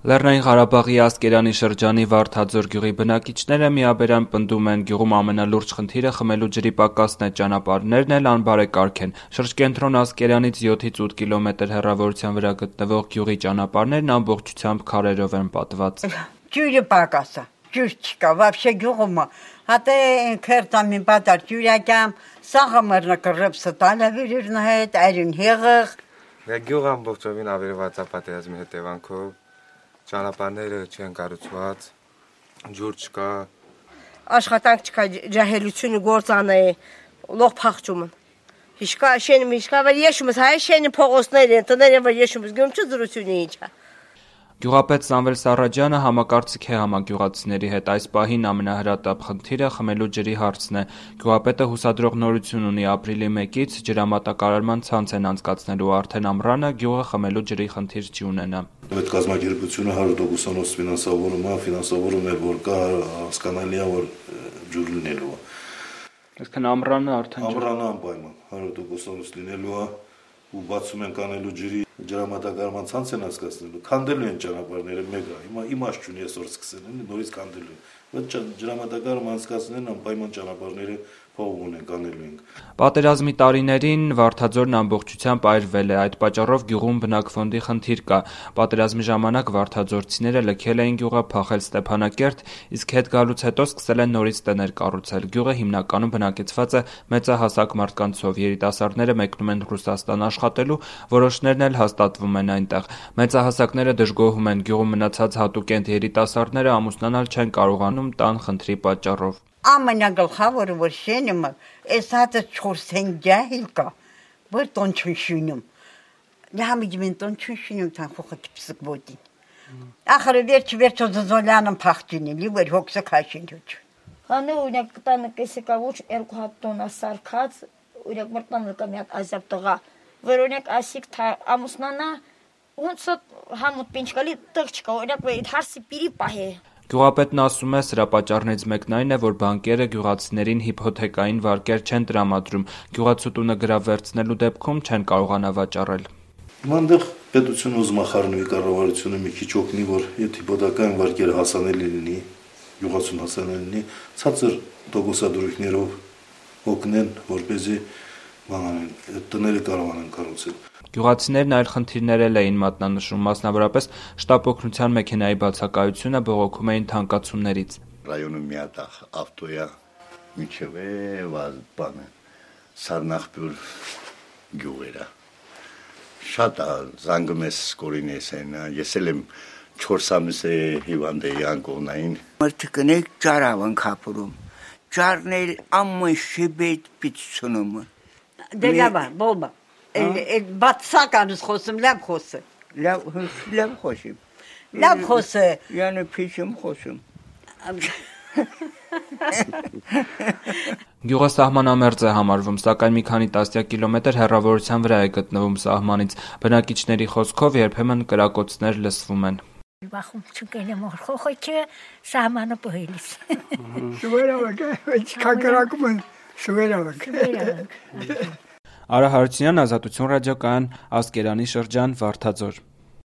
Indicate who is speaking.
Speaker 1: Լեռնային Ղարաբաղի Ասկերանի շրջանի Վարդաձոր գյուղի բնակիչները միաբերան պնդում են գյուղում ամենալուրջ խնդիրը խմելու ջրի պակասն է, ճանապարհներն էլ անբարեկարգ են։ Շրջկենտրոն Ասկերանից 7-ից 8 կիլոմետր հեռավորության վրա գտնվող գյուղի ճանապարհներն ամբողջությամբ քարերով են պատված։
Speaker 2: Ջուրը պակաս է, ջուր չկա, вообще գյուղում հատե քերտամին պատար ջուրակամ, սաղը մռնը կռպսը տալավիրն հետ, այրին հեղղ։
Speaker 3: Գյուղը ամբողջովին ավերված է պատերազմի հետևանքով։ Ճանապարհները չեն կառուցված, ջուր չկա,
Speaker 4: աշխատանք չկա, ջահելությունը գործանը է, լող փախչումը։ Հիշկա շենը հիշկա, որ եշումս հայ շենի փողոցներ են, տները որ եշումս գում չզրությունը ինչա։
Speaker 1: Գյուղապետ Սամվել Սարաջյանը համակարծիք է համագյուղացիների հետ, այս պահին ամենահրատապ խնդիրը խմելու ջրի հարցն է։ Գյուղապետը հուսադրող նորություն ունի, ապրիլի 1-ից ջրամատակարարման ցանց են անցկացնելու, արդեն ամռանը գյուղը խմելու ջրի խնդիր չի ունենա։
Speaker 5: Այդ կազմակերպությունը 100% ֆինանսավորում է, որ կա, հասկանալի է, որ ջուր լինելու է։
Speaker 1: Այսինքն ամռանը արդեն
Speaker 5: ամռանը անպայման 100% լինելու է ու բացում են կանելու ջրի ջրամատակարարման ցանց են անցկացնելու, քանդելու են ճանապարհները մեկը, հիմա իմաստ չունի այսօր սկսել, նորից քանդելու են, բայց ջրամատակարարման անցկացնեն անպայման ճանապարհները փողում ունեն, կանելու ենք։
Speaker 1: Պատերազմի տարիներին Վարդաձորն ամբողջությամբ այրվել է, այդ պատճառով գյուղում բնակֆոնդի խնդիր կա։ Պատերազմի ժամանակ վարդաձորցիները լքել էին գյուղը, փախել Ստեփանակերտ, իսկ հետ գալուց հետո սկսել են նորից տներ կառուցել։ Գյուղը հիմնականում բնակեցված է մեծահասակ մարդկանցով, երիտասարդները մեկնում են Ռուսաստան աշխատելու, որոշներն էլ հաստատվում են այնտեղ։ Մեծահասակները դժգոհում են, գյուղում մնացած հատուկենտ երիտասարդները ամուսնանալ չեն կարողանում տան խնդրի պատճառով։
Speaker 2: Ամենագլխավորը որ շենը այս հատը 4 ջահիլ կա, որ տոն չշունում։ Լամիջմեն տոն չշունում տան խոխտ պսկվոտին։ Ախր վերջ զոլանն փախչինի, լիվեր հոգսը քաշին ջուջ։
Speaker 4: Հանը օրինակ տանը կեսեկա ոչ 2 հատ տոնա սարքած, օրինակ մրտանը կա մի հատ ազատ տղա, որ օրինակ ասիկ ամուսնանա ոնց համոտ պինչկալի տղ չկա, օրինակ այդ հարսի պիրի պահե։
Speaker 1: Գյուղապետն ասում է, սրա պատճառներից մեկն այն է, որ բանկերը գյուղացիներին հիփոթեկային վարկեր չեն տրամադրում, գյուղացուտունը գրավվերցնելու դեպքում չեն կարողանա վաճառել։
Speaker 5: Մանդեղ պետությունը ուզում է խառնվի կառավարությունը մի քիչ օգնի, որ այդ հիփոթեկային վարկերը հասանելի լինի, գյուղացուն հասանելի լինի, ցածր տոկոսադրույքներով օգնեն, որպեսզի տները կարողանան կառուցել։
Speaker 1: Գյուղացիներն այլ խնդիրներ էլ էին մատնանշում, մասնավորապես շտապ օգնության մեքենայի բացակայությունը բողոքում էին թանկացումներից։
Speaker 6: Ռայոնում մի հատ ավտոյա միջև է բանը Սարնախբյուր գյուղերը։ Շատ զանգում ես սկորինես են, ես էլ եմ 4 ամիս է հիվանդ էի անկողնային։
Speaker 7: Մրթկնեք ճարավն կապուրում, ճարնել ամեն շիբետ պիցցունում։
Speaker 2: Դելավա, բոլբա, բացականս խոսում, լավ խոսը։
Speaker 7: Լավ խոսիմ։
Speaker 2: Լավ խոսը։
Speaker 7: Յանը պիչում խոսում։
Speaker 1: Գյուղը սահմանամերձ է համարվում, սակայն մի քանի տասնյակ կիլոմետր հեռավորության վրա է գտնվում սահմանից։ Բնակիչների խոսքով երբեմն կրակոցներ լսվում են։
Speaker 8: Բախում չկենեմ խոխոչը սահմանը պահելիս։
Speaker 7: Շուվերավակ, չկակրակում են, շուվերավակ։
Speaker 1: Արա Հարությունյան, Ազատություն ռադիոկայան, Ասկերանի շրջան, Վարդաձոր։